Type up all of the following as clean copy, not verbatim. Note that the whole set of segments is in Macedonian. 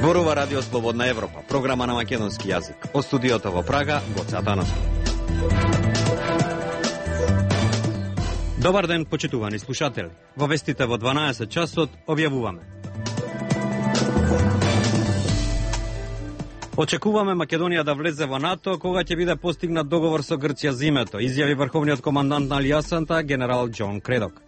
Зборува Радио Слободна Европа, програма на македонски јазик. Од студиото во Прага, Гоце Атанасов. Добар ден, почитувани слушатели. Во вестите во 12 часот објавуваме. Очекуваме Македонија да влезе во НАТО кога ќе биде постигнат договор со Грција за името, изјави врховниот командант на алијансата генерал Џон Кредок.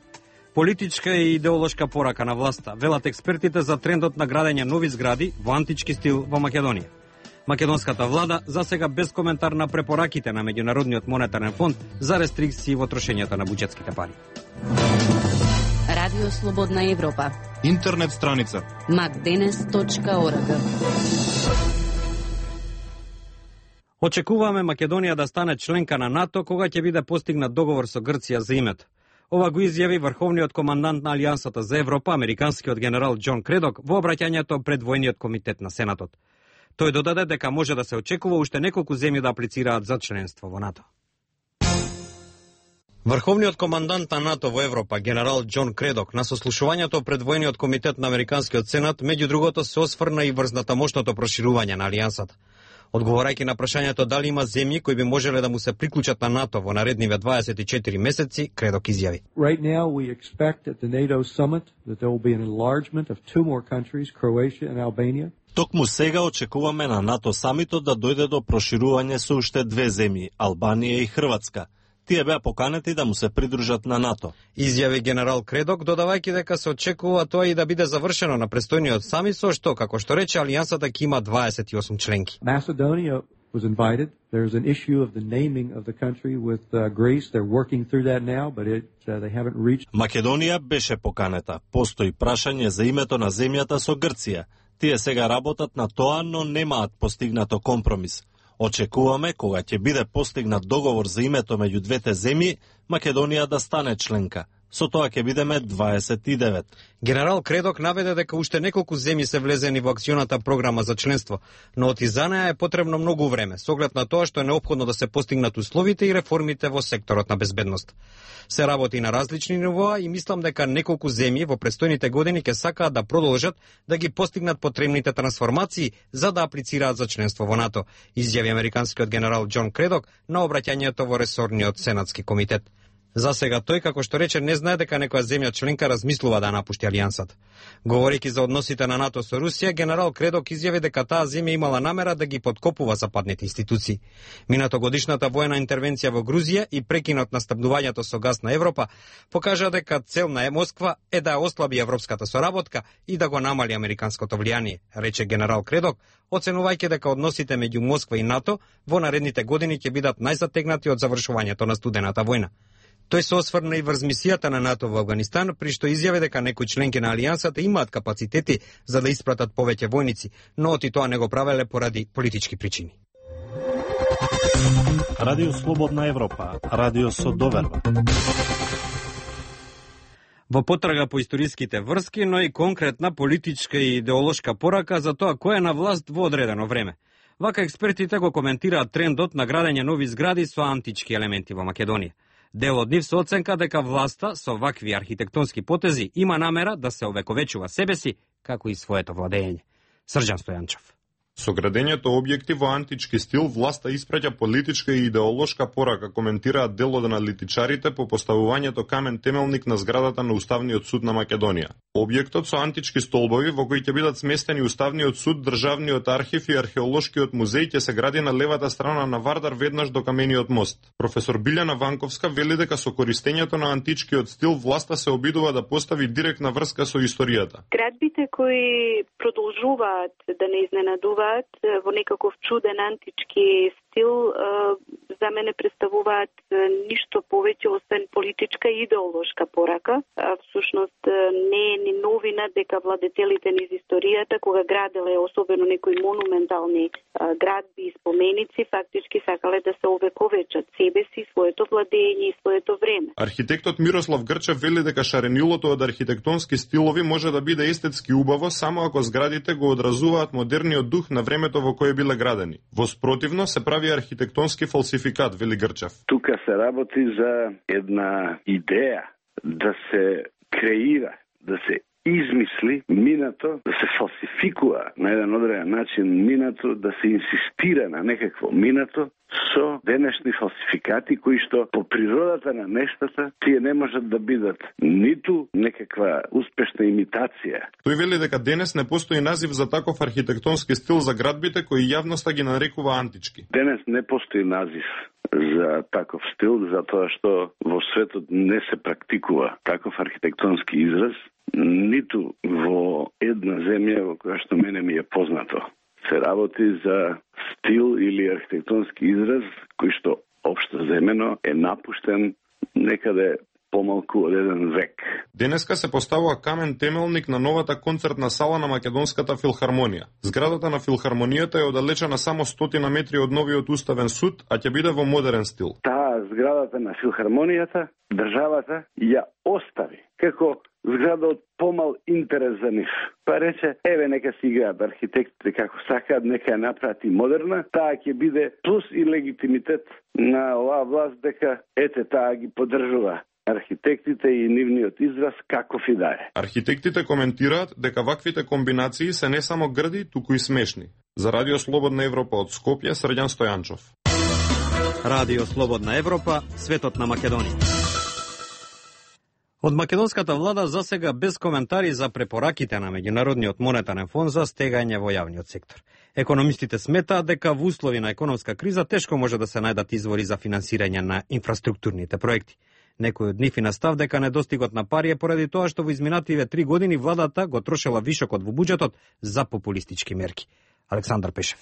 Политичка и идеолошка порака на власта, велат експертите за трендот на градење нови згради во антички стил во Македонија. Македонската влада засега без коментар на препораките на Меѓународниот монетарен фонд за рестрикции во трошењето на буџетските пари. Радио Слободна Европа. Интернет страница macdenes.org. Очекуваме Македонија да стане членка на НАТО кога ќе биде постигнат договор со Грција за името. Ова го изјави врховниот командант на Алијансата за Европа, американскиот генерал Џон Кредок, во обраќањето пред војниот комитет на Сенатот. Тој додаде дека може да се очекува уште неколку земји да аплицираат за членство во НАТО. Врховниот командант на НАТО во Европа, генерал Џон Кредок, на сослушувањето пред војниот комитет на американскиот Сенат, меѓу другото се осврна и врз натамошното проширување на алијансата. Одговорајќи на прашањето дали има земји кои би можеле да му се приклучат на НАТО во наредниве 24 месеци, Кредок изјави. Right now we expect at the NATO summit that there will be an enlargement of two more countries, Croatia and Albania. Токму сега очекуваме на НАТО самитот да дојде до проширување со уште две земји, Албанија и Хрватска. Тие беа поканети да му се придружат на НАТО. Изјави генерал Кредок, додавајќи дека се очекува тоа и да биде завршено на престојниот самит, со што, како што рече, алијансата ќе има 28 членки. Macedonia was invited. There's an issue of the naming of the country with Greece. They're working through that now, but they haven't reached. Македонија беше поканета. Постои прашање за името на земјата со Грција. Тие сега работат на тоа, но немаат постигнато компромис. Очекуваме, кога ќе биде постигнат договор за името меѓу двете земји, Македонија да стане членка. Со тоа ќе бидеме 29. Генерал Кредок наведе дека уште неколку земји се влезени во акционата програма за членство, но оти за неа е потребно многу време, со оглед на тоа што е неопходно да се постигнат условите и реформите во секторот на безбедност. Се работи на различни нивоа и мислам дека неколку земји во престојните години ќе сакаат да продолжат да ги постигнат потребните трансформации за да аплицираат за членство во НАТО, изјави американскиот генерал Џон Кредок на обраќањето во ресорниот сенатски комитет. За сега тој, како што рече, не знае дека некоја земја членка размислува да напушти алијансата. Говорејќи за односите на НАТО со Русија, генерал Кредок изјави дека таа земја имала намера да ги подкопува западните институции. Минатогодишната воена интервенција во Грузија и прекинот на снабдувањето со газ на Европа покажа дека цел на Москва е да ослаби европската соработка и да го намали американското влијание, рече генерал Кредок, оценувајќи дека односите меѓу Москва и НАТО во наредните години ќе бидат најзатегнати од завршувањето на студената војна. Тој се осврна и врз мисијата на НАТО во Авганистан, при што изјави дека некои членки на алијансата имаат капацитети за да испратат повеќе војници, но оти тоа не го правеле поради политички причини. Радио Слободна Европа, радио со доверба. Во потрага по историските врски, но и конкретна политичка и идеолошка порака за тоа кој е на власт во одредено време. Вака експертите го коментираат трендот на градење нови згради со антички елементи во Македонија. Дел од нив се оценка дека власта со вакви архитектонски потези има намера да се овековечува себеси, како и своето владење. Срđan Стојанчев. Со градењето објекти во антички стил, власта испраќа политичка и идеолошка порака, коментираат дел од аналитичарите по поставувањето камен темелник на зградата на Уставниот суд на Македонија. Објектот со антички столбови во кои ќе бидат сместени Уставниот суд, Државниот архив и Археолошкиот музеј ќе се гради на левата страна на Вардар веднаш до камениот мост. Професор Билјана Ванковска вели дека со користењето на античкиот стил власта се обидува да постави директна врска со историјата. Градбите кои продолжуваат да не изненадуваат во некаков чуден антички стил, за мене представуваат ништо повеќе освен политичка и идеолошка порака. Всушност не е ни новина дека владетелите низ историјата, кога граделе особено некои монументални градби и споменици, фактички сакале да се овековечат себе си, своето владење и своето време. Архитектот Мирослав Грчев вели дека шаренилото од архитектонски стилови може да биде естетски убаво само ако зградите го одразуваат модерниот дух на времето во кое биле градени. Во спротивно се прави архитектонски фалсификат, вели Грчев. Тука се работи за една идеја да се креира, да се измисли минато, да се фалсификува на еден одреден начин минато, да се инсистира на некакво минато со денешни фалсификати кои што по природата на нештата тие не можат да бидат ниту некаква успешна имитација. Тој вели дека денес не постои назив за таков архитектонски стил за градбите кои јавноста ги нарекува антички. Денес не постои назив за таков стил, затоа што во светот не се практикува таков архитектонски израз, ниту во една земја во која што мене ми е познато. Се работи за стил или архитектонски израз кој што општо земено е напуштен некаде помалку од еден век. Денеска се поставува камен темелник на новата концертна сала на Македонската филхармонија. Зградата на филхармонијата е оддалечена само 100 метри од новиот уставен суд, а ќе биде во модерен стил. Таа зградата на филхармонијата државата ја остави како зграда од помал интерес за нив. Па рече, еве нека си играат архитектите како сакаат, нека ја направи модерна, таа ќе биде плюс и легитимитет на оваа власт дека ете таа ги поддржува архитектите и нивниот израз каков и да е. Архитектите коментираат дека ваквите комбинации се не само грди, туку и смешни. За Радио Слободна Европа од Скопје, Срđan Стојанчов. Радио Слободна Европа, светот на Македонија. Од македонската влада засега без коментари за препораките на Меѓународниот монетарен фонд за стегање во јавниот сектор. Економистите сметаат дека во услови на економска криза тешко може да се најдат извори за финансирање на инфраструктурните проекти. Некој од нив и настав дека недостигот на пари е поради тоа што во изминативе 3 години владата го трошела вишокот во буџетот за популистички мерки. Александар Пешев.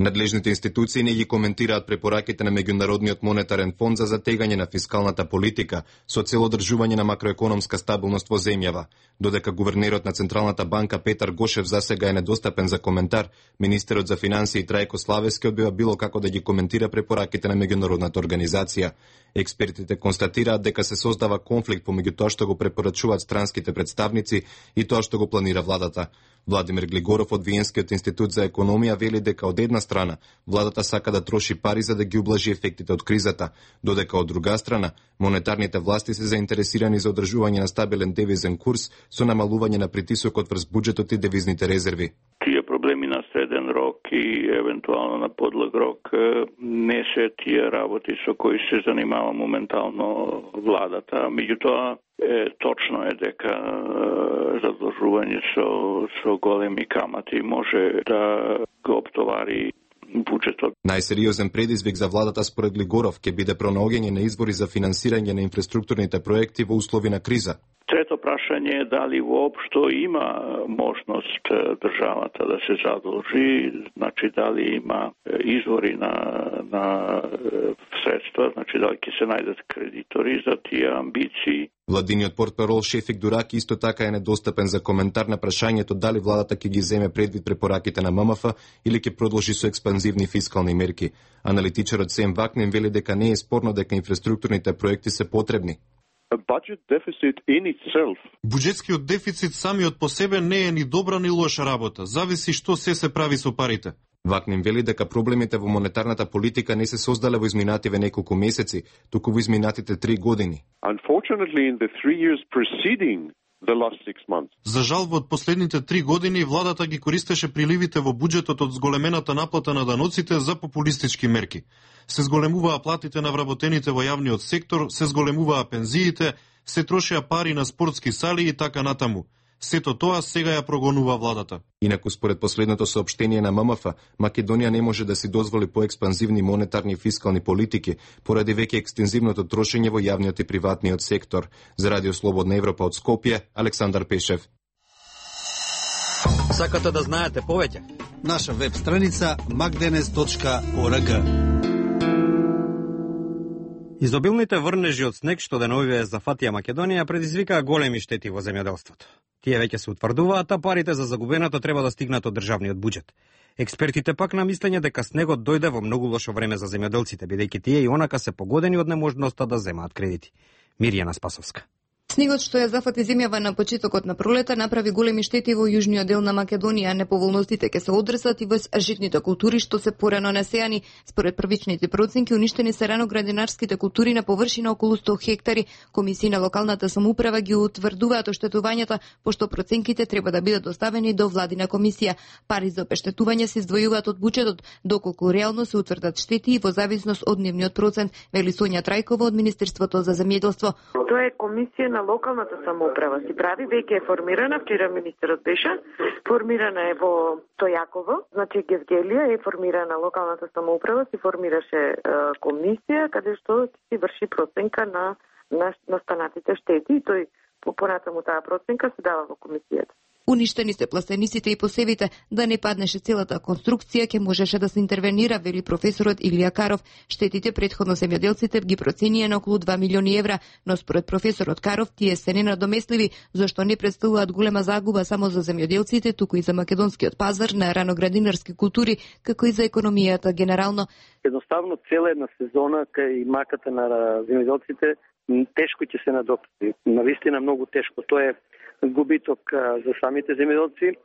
Надлежните институции не ги коментираат препораките на Меѓународниот монетарен фонд за затегање на фискалната политика со цел одржување на макроекономска стабилност во земјава. Додека гувернерот на Централната банка Петар Гошев засега е недостапен за коментар, министерот за финансии Трајко Славевски одбива било како да ги коментира препораките на меѓународната организација. Експертите констатираат дека се создава конфликт помеѓу тоа што го препорачуваат странските представници и тоа што го планира владата. Владимир Глигоров од Виенскиот институт за економија вели дека од една страна владата сака да троши пари за да ги ублажи ефектите од кризата, додека од друга страна монетарните власти се заинтересирани за одржување на стабилен девизен курс со намалување на притисокот врз буџетот и девизните резерви. Тие проблеми на среден рок и евентуално на подлог рок не се тие работи со кои се занимава моментално владата. Меѓутоа, точно е дека задлжување со големи камати може да го оптовари буџетот. Најсериозен предизвик за владата според Глигоров ќе биде пронаоѓање на избори за финансирање на инфраструктурните проекти во услови на криза. Трето прашање е дали воопшто има можност државата да се задолжи, значи дали има извори на средства, значи дали ќе се најдат кредитори за тие амбиции. Владиниот портпарол Шефик Дураки исто така е недостапен за коментар на прашањето дали владата ќе ги земе предвид препораките на ММФ или ќе продолжи со експанзивни фискални мерки. Аналитичарот Сем Вакнен вели дека не е спорно дека инфраструктурните проекти се потребни. Буџетскиот дефицит самиот по себе не е ни добра ни лоша работа, зависи што се прави со парите. Вакнин вели дека проблемите во монетарната политика не се создале во изминативе неколку месеци, туку во изминатите 3 години. За жал, во последните 3 години владата ги користеше приливите во буџетот од зголемената наплата на даноците за популистички мерки. Се зголемуваа платите на вработените во јавниот сектор, се зголемуваа пензиите, се трошеа пари на спортски сали и така натаму. Сето тоа сега ја прогонува владата. Инаку според последното соопштение на ММФ, Македонија не може да си дозволи поекспанзивни монетарни и фискални политики поради веќе екстензивното трошење во јавниот и приватниот сектор. За Радио Слободна Европа од Скопје, Александар Пешев. Сакате да знаете повеќе? Наша веб страница magdenes.org. Изобилните врнежи од снег што деновиве зафатија Македонија предизвикаа големи штети во земјоделството. Тие веќе се утврдуваат, а парите за загубеното треба да стигнат од државниот буџет. Експертите пак на мислење дека снегот дојде во многу лошо време за земјоделците, бидејќи тие и онака се погодени од неможноста да земаат кредити. Мирјана Спасовска. Снегот што ја зафати земјава на почетокот на пролета направи големи штети во јужниот дел на Македонија. Неповолностите ќе се одрсат и во житните култури што се порано насејани. Според првичните проценки уништени се раноградинарските култури на површина околу 100 хектари. Комисии на локалната самоуправа ги утврдуваат оштетувањата, пошто проценките треба да бидат доставени до владина комисија. Пари за обештетување се издвојуваат од буџетот, доколку реално се утврдат штети и во зависност од нивниот процент, вели Сонја Трајкова од Министерството за земјоделство. Тоа е комисија на локалната самоуправа. Си прави, веќе е формирана, вчера министерот беше, формирана е во Тојаково, значи Гевгелија е формирана локалната самоуправа, си формираше комисија каде што си врши проценка на настанатите штети и тој понатаму таа проценка се дава во комисијата. Уништени се пластениците и посевите, да не паднеше целата конструкција, ќе можеше да се интервенира, вели професорот Илија Каров. Штетите претходно земјоделците ги проценија на околу 2 милиони евра, но според професорот Каров тие се ненадоместливи, зашто не представуваат голема загуба само за земјоделците, туку и за македонскиот пазар на раноградинарски култури, како и за економијата генерално. Едноставно цела една сезона кај маката на земјоделците тешко ќе се надокнати. Навистина многу тешко. Тоа е губиток за самите земјоделци,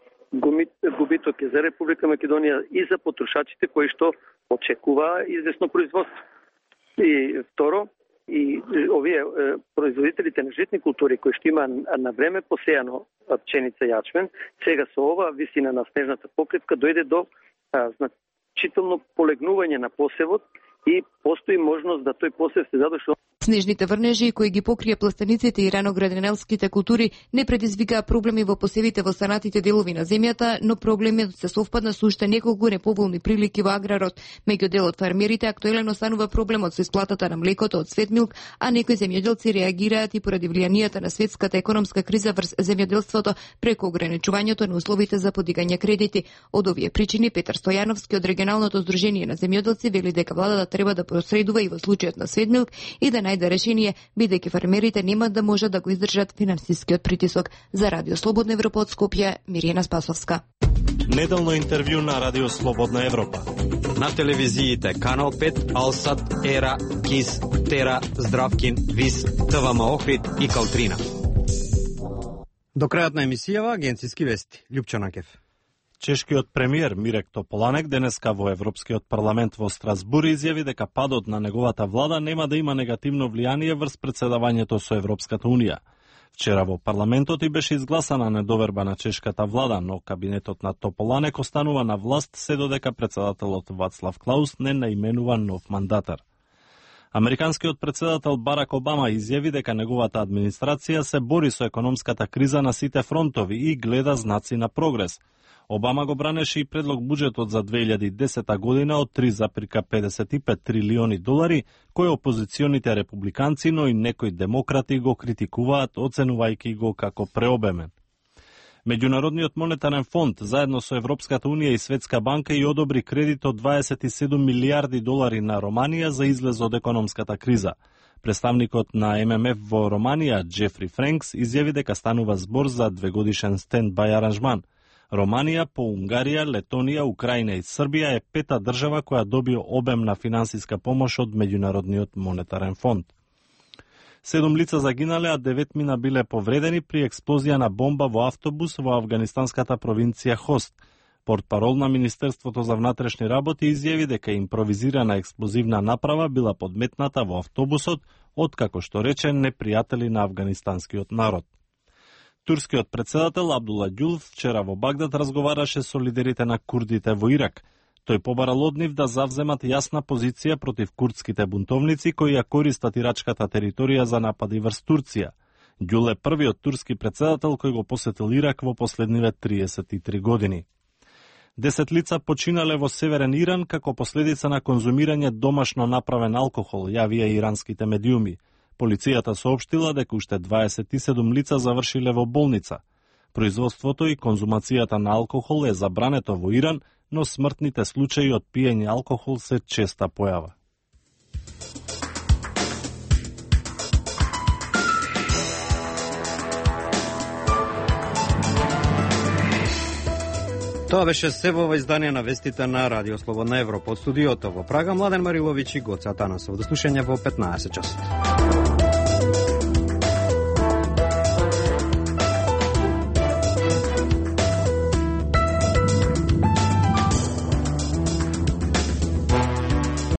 губиток е за Република Македонија и за потрошачите кои што очекува известно производство. И второ, и овие производителите на житни култури кои што има на време посејано пченица и јачмен, сега со ова висина на снежната покривка дојде до значително полегнување на посевот и постои можност да тој посев се задуши. Снежните врнежи кои ги покрија пластениците и раноградинарските култури не предизвикаа проблеми во посевите во станатите делови на земјата, но проблемот се совпадна со уште неколку неповолни прилики во аграрот. Меѓу дел од фермерите актуелен останува проблемот со исплатата на млекото од Светмилк, а некои земјоделци реагираат и поради влијанието на светската економска криза врз земјоделството преку ограничувањето на условите за подигање кредити. Од овие причини Петар Стојановски од регионалното здружение на земјоделци вели дека владата треба да посредува и во случајот на Светмилк и да најде решение, бидејќи фермерите нема да можат да го издржат финансискиот притисок. За Радио Слободна Европа од Скопје, Мирјана Спасовска. Неделно интервју на Радио Слободна Европа. На телевизиите Канал 5, Алсат, Ера, Кис, Тера, Здравкин, Вис, ТВМ Охрид и Калтрина. До крајот на емисијава агенциски вести. Љупчо Накев. Чешкиот премиер Мирек Тополанек денеска во Европскиот парламент во Страсбур изјави дека падот на неговата влада нема да има негативно влијание врз председавањето со Европската унија. Вчера во парламентот и беше изгласана недоверба на чешката влада, но кабинетот на Тополанек останува на власт се додека председателот Вацлав Клаус не наименува нов мандатар. Американскиот председател Барак Обама изјави дека неговата администрација се бори со економската криза на сите фронтови и гледа знаци на прогрес. Обама го бранеше и предлог буџетот за 2010 година од 3,55 трилиони долари, кој опозиционите републиканци, но и некои демократи го критикуваат, оценувајќи го како преобемен. Меѓународниот монетарен фонд, заедно со Европската унија и Светска банка, и одобри кредит од 27 милиарди долари на Романија за излез од економската криза. Представникот на ММФ во Романија, Джефри Френкс, изјави дека станува збор за 2-годишен стенд-бај аранжман. Романија, по Унгарија, Летонија, Украина и Србија е пета држава која доби обемна финансиска помош од Меѓународниот монетарен фонд. 7 лица загинале, а 9 мина биле повредени при експлозија на бомба во автобус во афганистанската провинција Хост. Портпарол на Министерството за внатрешни работи изјави дека импровизирана експлозивна направа била подметната во автобусот од, како што рече, непријатели на афганистанскиот народ. Турскиот председател Абдула Ѓул вчера во Багдад разговараше со лидерите на курдите во Ирак. Тој побарал од нив да завземат јасна позиција против курдските бунтовници кои ја користат ирачката територија за напади врз Турција. Ѓул е првиот турски председател кој го посетил Ирак во последниве 33 години. 10 лица починале во северен Иран како последица на конзумирање домашно направен алкохол, јавија иранските медиуми. Полицијата соопштила дека уште 27 лица завршиле во болница. Производството и конзумацијата на алкохол е забрането во Иран, но смртните случаи од пиење алкохол се честа појава. Тоа беше се во издание на вестите на Радио Слободна Европа. Од студиото во Прага, Младен Мариловиќ и Гоце Атанасов. До слушање во 15 часот.